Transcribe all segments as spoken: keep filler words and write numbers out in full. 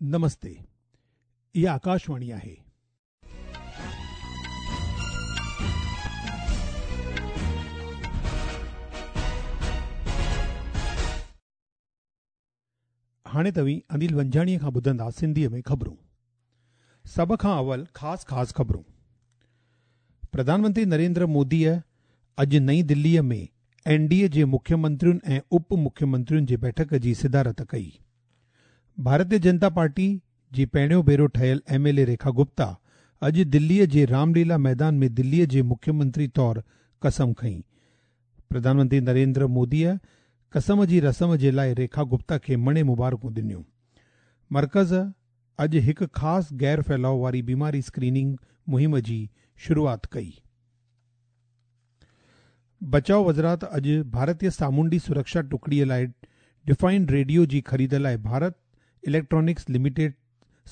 نمستي، اها آڪاشواڻي آهي. هاڻي توهين انيل ونجاڻيءَ کان ٻڌندا سنڌيءَ ۾ خبرون. سڀ کان اول خاص خاص خبرون. پرڌان منتري نريندر موديءَ اڄ نئين دليءَ ۾ اين ڊي اي جي مکيه منترين ۽ اپ مکيه منترين جي بيٺڪ جي صدارت ڪئي. ڀارتيه جنتا پارٽي جي پهريون ڀيرو ٺهيل M L A Rekha Gupta اڄ دليءَ جي رامليلا ميدان ۾ دليءَ جي مکيه منتري طور قسم کنئي. پرڌان منتري نريندر موديءَ قسم جي رسم جي لاءِ ريکا گپتا کي مڻي مبارڪون ڏنيون. مرڪز اڄ هڪ خاص غير ڦهلاءُ واري بيماري اسڪريننگ مهم جي شروعات ڪئي. بچاءُ وزارت اڄ ڀارتيه سامونڊي سرڪشا ٽڪڙيءَ لاءِ ڊفائنڊ ريڊيو جي خريد لاءِ ڀارت اليڪٽرانڪس لميٽيڊ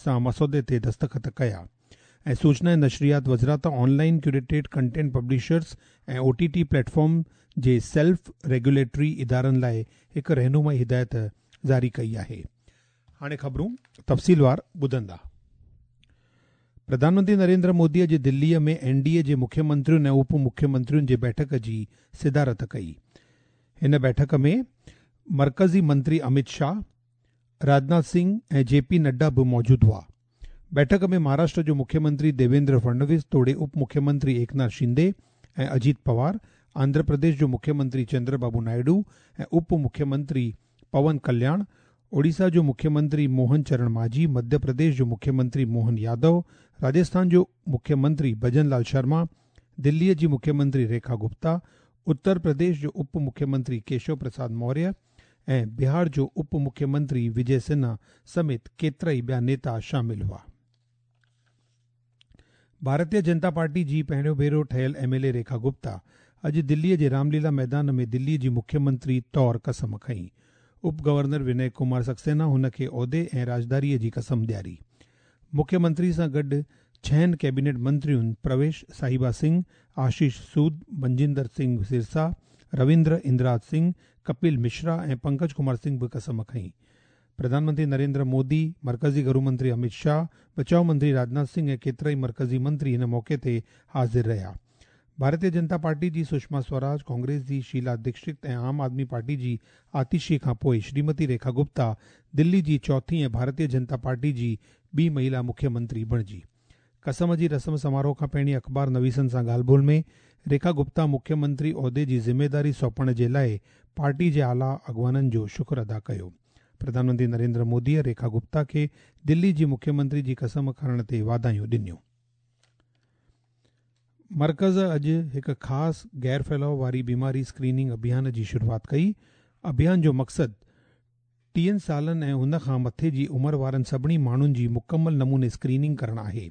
سان مسودي تي دستخط ڪيا. ۽ سوچنا ۽ نشريات وزارت online curated content publishers ۽ O T T platform جي سيلف ريگيوليٽري ادارن لاءِ هڪ رهنمائي هدايت جاري ڪئي آهي. هاڻي خبرون تفصيلوار ٻڌندا. پرڌان منتري نريندر موديءَ جي دليءَ ۾ اين ڊي اي جي مکيه منترين ۽ اپ مکيه منترين جي بيٺڪ جي صدارت ڪئي. هن بيٺڪ ۾ مرڪزي منتري امت شاهه، راجناٿ سنگهه ۽ جي پي نڊا به موجود هئا. بيٺڪ ۾ مهاراشٽر جو مکيه منتري ديويندر فڙنويس توڙي اپ مکيه منتري ايڪناٿ شندي ۽ اجيت پوار، آنڌرا پرديش جو مکيه منتري چندر بابو نائيڊو ۽ اپ مکيه منتري پون ڪلياڻ، اوڙيسا جو مکيه منتري موهن چرڻ ماجهي، مڌيه پرديش جو مکيه منتري موهن يادو، راجسٿان جو مکيه منتري ڀجن لال شرما، دليءَ جي مکيه منتري ريکا گپتا، اتر پرديش جو اپ مکيه منتري ڪيشو پرساد موريه ۽ بهار جو اپ مکيه منتري وجي سنها سميت ڪيترا ئي ٻيا نيتا شامل هئا. ڀارتيه جنتا پارٽي جي پهريون ڀيرو ٺهيل M L A Rekha Gupta اڄ دليءَ جي رامليلا ميدان ۾ دليءَ جي مکيه منتري طور قسم کنئي. اپ گورنر وني ڪمار سڪسينا هن کي عهدي ۽ راجداريءَ جي قسم ڏياري. مکيه منتري سان گڏ ڇهن ڪيبينيٽ منترين پرويش ساهبا سنگهه، آشيش سود، منجندر سنگهه سرسا، رويندر اندراج سنگهه، ڪپل مشرا ۽ پنڪج ڪمار سنگهه به قسم کنئي. پرڌان منتري نريندر مودي، مرڪزي گهرو منتري امت شاهه، بچاءُ منتري راجناٿ سنگهه ۽ ڪيترا ئي مرڪزي منتري هن موقعي تي حاضر رهيا. ڀارتيه جنتا پارٽي جي سشما سوراج، ڪانگريس جي شيلا ديڪشت ۽ عام آدمي پارٽي جي آتشي کان پوءِ شريمتي ريکا گپتا دلي جي چوٿين ۽ ڀارتيه جنتا پارٽي جي ٻي مهلا مکيه منتري بڻجي. قسم جي رسم سماروهه کان پهرين اخبار نويسن سان ڳالهه ٻولهه ۾ ريکا گپتا مکيه منتري عهدي جي ذميداري سونپڻ جي لاءِ پارٽي جي اعليٰ اڳواڻن جو شڪر ادا ڪيو. پرڌان منتري نريندر موديءَ ريکا گپتا کي دلي جي مکيه منتري جي قسم کڻڻ تي واڌايون ڏنيون. مرڪز اڄ هڪ خاص غير ڦهلاءُ واري بيماري اسڪريننگ اڀيان جي شروعات ڪئي. اڀيان جو مقصد ٽيهن سالن ۽ هن کان مٿي جي عمر وارن سڀني ماڻهن جي مڪمل نموني اسڪريننگ ڪرڻ آهي.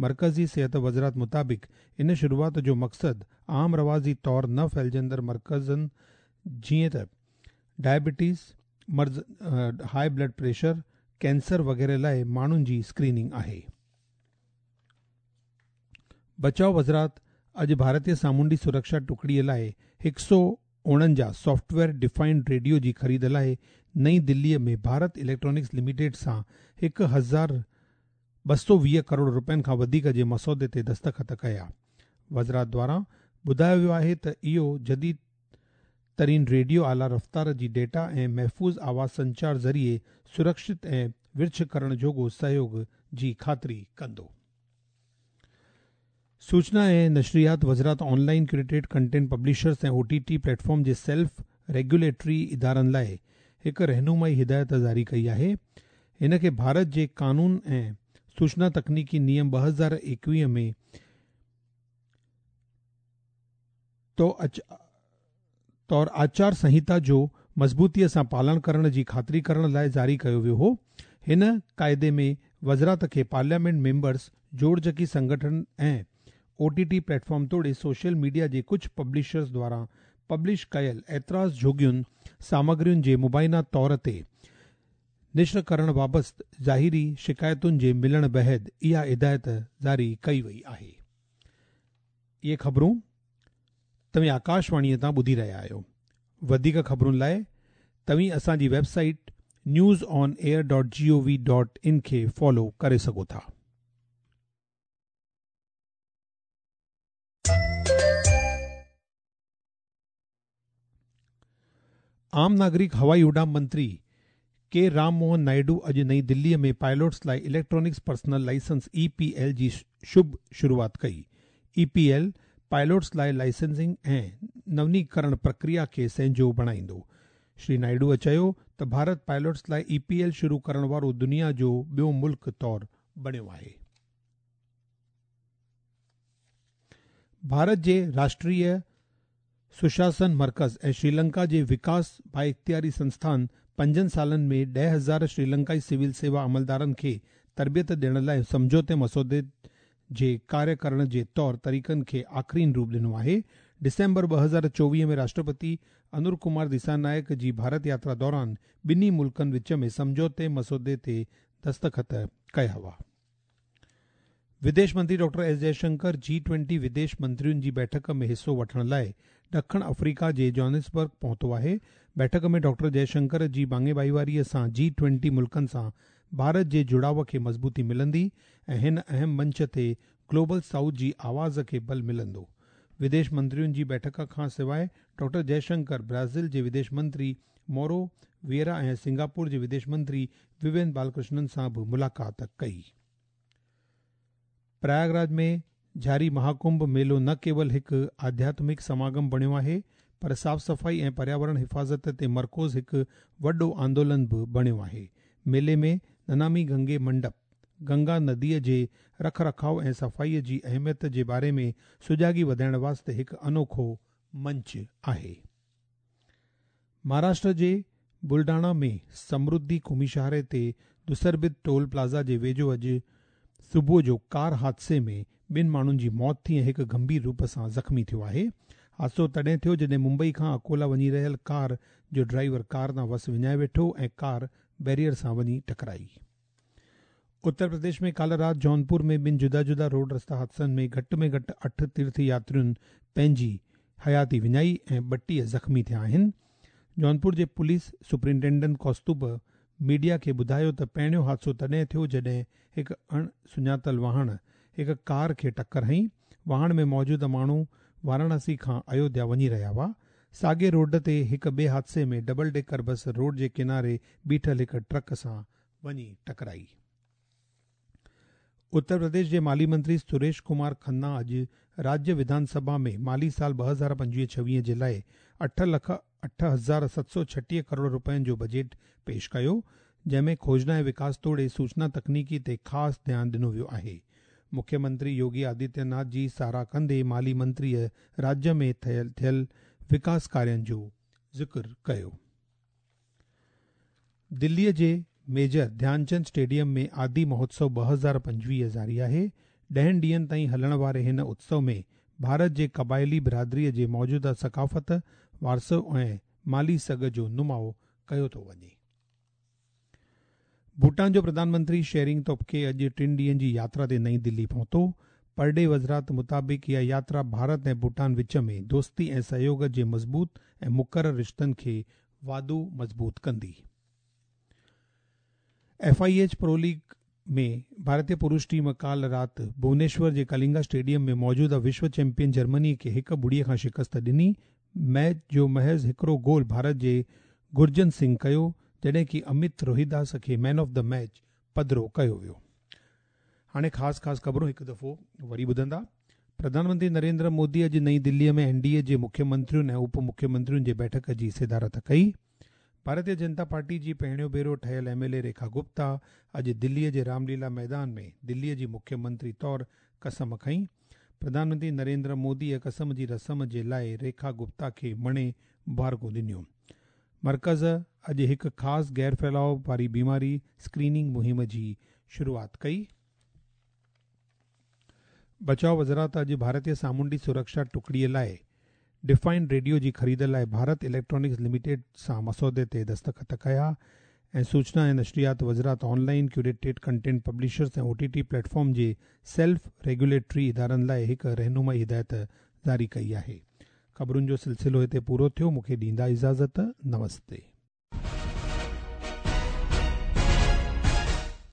مرڪزي صحت وزارت مطابق ان شروعات جو مقصد عام رواجي طور نه ڦهلجندڙ مرڪزن جيئن ته ڊائبٽيز، مرض، هاءِ بلڊ پريشر، ڪينسر وغيره لاءِ ماڻهن جي اسڪريننگ آهي. بچاءُ وزارت اڄ ڀارتيه سامونڊي سرڪشا ٽڪڙيءَ لاءِ هڪ سؤ اوڻونجاهه سافٽ ويئر ڊفائنڊ ريڊيو جي خريد لاءِ نئين دليءَ ۾ ڀارت اليڪٽرانڪس لميٽيڊ سان هڪ هزار ٻه سؤ ويهه ڪروڙ رپين کان وڌيڪ جي مسودي تي دستخط ڪيا. وزارت دواران ٻڌايو ويو آهي ته اهو جديد ترين ريڊيو اعليٰ رفتار جي ڊيٽا ۽ محفوظ آواز سنچار ذريعي سرڪشت ۽ ورڇ ڪرڻ جوڳو سهيوڳ جي خاطري ڪندو. سوچنا ۽ نشريات وزارت آنلائن ڪيوريٽيڊ ڪنٽينٽ پبلشرز ۽ او ٽي ٽي پليٽ فارم جي سيلف ريگيوليٽري ادارن لاءِ هڪ رهنمائي هدايت جاري ڪئي آهي. هن کي ڀارت جي قانون ۽ سوچنا تڪنيڪي نيم ٻه هزار ايڪويهه ۾ طور آچار سنهتا جو مضبوطيءَ سان پالڻ ڪرڻ جي خاطري ڪرڻ لاءِ جاري ڪيو ويو هو. هن قاعدي ۾ وزارت کي پارليامينٽ ميمبرس، جوڙجڪي سنگٺن ۽ او ٽي ٽي پليٽ فارم توڙي سوشل ميڊيا جي ڪجهه پبلشرز دواران پبلش ڪيل اعتراض جوڳين سامگرين جي مبينا طور تي نشر ڪرڻ بابت ظاهري شڪايتن جي ملڻ بعد اها هدايت جاري ڪئي وئي آهي. اهي خبرون توهين آڪاشواڻيءَ تان ٻڌي رهيا آهيو. وڌيڪ خبرن لاءِ توهين اسان جي web site news on air dot G O V dot in کي فالو ڪري سگهو ٿا. عام ناگرڪ هوائي اڏام منتري ڪي رام موهن نائيڊو اڄ نئين دليءَ ۾ پائلٽس لاءِ electronics personal licence E P L جي شڀ شروعات ڪئي. اي پي ايل پائلٽس لاءِ لائسنسنگ ۽ نونيڪرڻ پرڪريا کي سهنجو بڻائيندو. شري نائيڊوءَ چيو ته ڀارت پائلٽس لاءِ اي پي ايل شروع ڪرڻ وارو دنيا جو ٻيو ملڪ طور بڻيو آهي. ڀارت جي راشٽريه سشاسن مرڪز ۽ شري لنڪا جي وڪاس بااختياري سنسٿان پنجن سالن ۾ ڏهه هزار شري لنڪائي سول سيوا عملدارن کي تربيت ڏيڻ لاءِ سمجهوتي مسودي جي ڪاريه ڪرڻ جي طور طريقن کي آخرين روپ ڏنو آهي. ڊسمبر ٻه هزار چوويهه ۾ راشٽرپتي انور ڪمار دسانايڪ جي ڀارت ياترا دوران ٻنهي ملڪن وچ ۾ سمجهوتي مسودي تي دستخط ڪيا هئا. وديش منتري doctor S Jaishankar G twenty وديش منترين جي بيٺڪ ۾ حصو وٺڻ لاءِ ڏکڻ آفريڪا جي جوهانسبرگ پهتو آهي. بيٺڪ ۾ ڊاڪٽر جئشنڪر جي ڀاڱي ڀائيواريءَ سان جي ٽوئنٽي ملڪن سان ڀارت جي جڙاءُ کي مضبوطي ملندي ۽ هن اهم منچ تي گلوبل سائوٿ جي آواز کي بل ملندو. وديش منترين جي بيٺڪ کان سواءِ ڊاڪٽر جئشنڪر برازيل جي وديش منتري مورو ويرا ۽ سنگاپور جي وديش منتري ووين بالڪرشنن سان به ملاقات ڪئي. پرياگراج ۾ جاري مهاڪنڀ ميلو نه ڪيول هڪ آڌياتمڪ سماگم بڻيو آهي پر صاف صفائي ۽ پرياورڻ حفاظت تي مرڪوز هڪ وڏو آندولن به بڻيو آهي. ميلي ۾ ننامي گنگي منڊپ گنگا نديءَ جي رک رکاءُ ۽ صفائيءَ جي اهميت جي باري ۾ سجاڳي وڌائڻ واسطي هڪ انوکو منچ آهي. مهاراشٽر جي بلڊاڻا ۾ سمرڌي قومي شاهراهه تي دسربت ٽول پلازا جي ويجهو اڄ صبح جو ڪار حادثي ۾ ٻن ماڻهن جي موت ٿي ۽ هڪ گنڀير روپ سان زخمي ٿيو آهي. حادثو تڏهن ٿيو جڏهن ممبئي کان اڪولا وڃي رهيل ڪار جو ڊرائيور ڪار تان وس وڃائي ويٺو ۽ ڪار بيريئر سان وڃي ٽڪرائي. اتر پرديش ۾ ڪالهه رات جونپور ۾ ٻن جدا جدا روڊ رستا حادثن ۾ گهٽ ۾ گهٽ اٺ تيرٿ ياترين پنهنجي حياتي وڃائي ۽ ٻٽيهه زخمي ٿيا آهن. جونپور جي پوليس سپرنٽينڊنٽ ڪوستوب ميڊيا کي ٻڌايو ته پهريون حادثو تڏهن ٿيو جڏهن هڪ اڻ سڃاتل واهڻ هڪ ڪار کي ٽڪر هنئي. واهڻ ۾ موجود ماڻهو واراڻسي کان ايوڌيا وڃي رهيا هئا. ساڳي روڊ تي هڪ ٻئي حادثي ۾ ڊبل ڊيڪر بس روڊ جي ڪناري بيٺل هڪ ٽرڪ سان وڃي ٽڪرائي. اتر پرديش جي مالي منتري سريش ڪمار کنا اڄ راجيه وڌان سڀا ۾ مالي سال ٻه هزار پنجويهه ڇويهه جي لاءِ اٺ لک اٺ هزار ست سؤ ڇٽيهه ڪروڙ رپين جو بجيٽ پيش ڪيو، جنهن ۾ کوجنا ۽ وڪاس توڙي سوچنا تڪنيڪي تي خاص ڌيان ڏنو ويو آهي. مکيه منتري يوگي آدتيه ناٿ جي ساراهه ڪندي مالي منتريءَ راجيه ۾ ٿيل ٿيل وڪاس ڪارين جو ذڪر ڪيو. دليءَ جي ميجر ڌيانچند اسٽيڊيم ۾ آدي مهوتسو ٻه هزار پنجويهه جاري آهي. ڏهن ڏينهن تائين هلڻ واري هن اتسو ۾ ڀارت جي قبائلي برادريءَ جي موجوده ثقافت، وارثو ۽ مالي سگهه جو نماءُ ڪيو ٿو وڃي. ڀوٽان جو پرڌان منتري شيرنگ توبگي اڄ ٽن ڏينهن جي ياترا تي نئين دلي پهتو. پرڏيهي وزارت مطابق اها ياترا ڀارت ۽ ڀوٽان وچ ۾ دوستي ۽ سهيوگ جي مضبوط ۽ مقرر رشتن کي واڌو مضبوط ڪندي. F I H pro league ۾ ڀارتيه پرش ٽيم ڪالهه رات ڀونيشور جي ڪلنگا اسٽيڊيم ۾ موجوده وشو چيمپيئن جرمني کي هڪ ٻڙيءَ کان شڪست ڏني. ميچ جو محض هڪڙو گول ڀارت جي گرجن سنگهه ڪيو، جڏهن ڪه امت روهداس کي مين آف the match پڌرو ڪيو ويو. هاڻي خاص خاص خبرون هڪ دفعو وري ٻڌندا. پرڌان منتري نريندر مودي اڄ نئين دليءَ ۾ اين ڊي اي جي مکيه منترين ۽ اپ مکيه منترين جي بيٺڪ جي صدارت ڪئي. ڀارتيه جنتا پارٽي جي پهريون ڀيرو ٺهيل ايم ايل اي ريکا گپتا اڄ دليءَ جي رامليلا ميدان ۾ دليءَ جي مکيه منتري طور قسم کنئي. پرڌان منتري نريندر موديءَ قسم جي رسم جي لاءِ ريکا گپتا کي مڻي مبارڪون ڏنيون. مرڪز اڄ هڪ خاص غير ڦهلاءُ واري بيماري اسڪريننگ مهم جي شروعات ڪئي. بچاءُ وزارت اڄ ڀارتيه سامونڊي سرڪشا ٽڪڙيءَ لاءِ ڊفائنڊ ريڊيو جي خريد لاءِ ڀارت اليڪٽرانڪس لميٽيڊ سان مسودي تي دستخط ڪيا. ۽ سوچنا ۽ نشريات وزارت online curated content publishers ۽ O T T platform جي سيلف ريگيوليٽري ادارن لاءِ هڪ رهنمائي هدايت جاري ڪئي آهي. خبرن جو سلسلو هتي پورو ٿيو. مون کي ڏيندا اجازت. نمستي.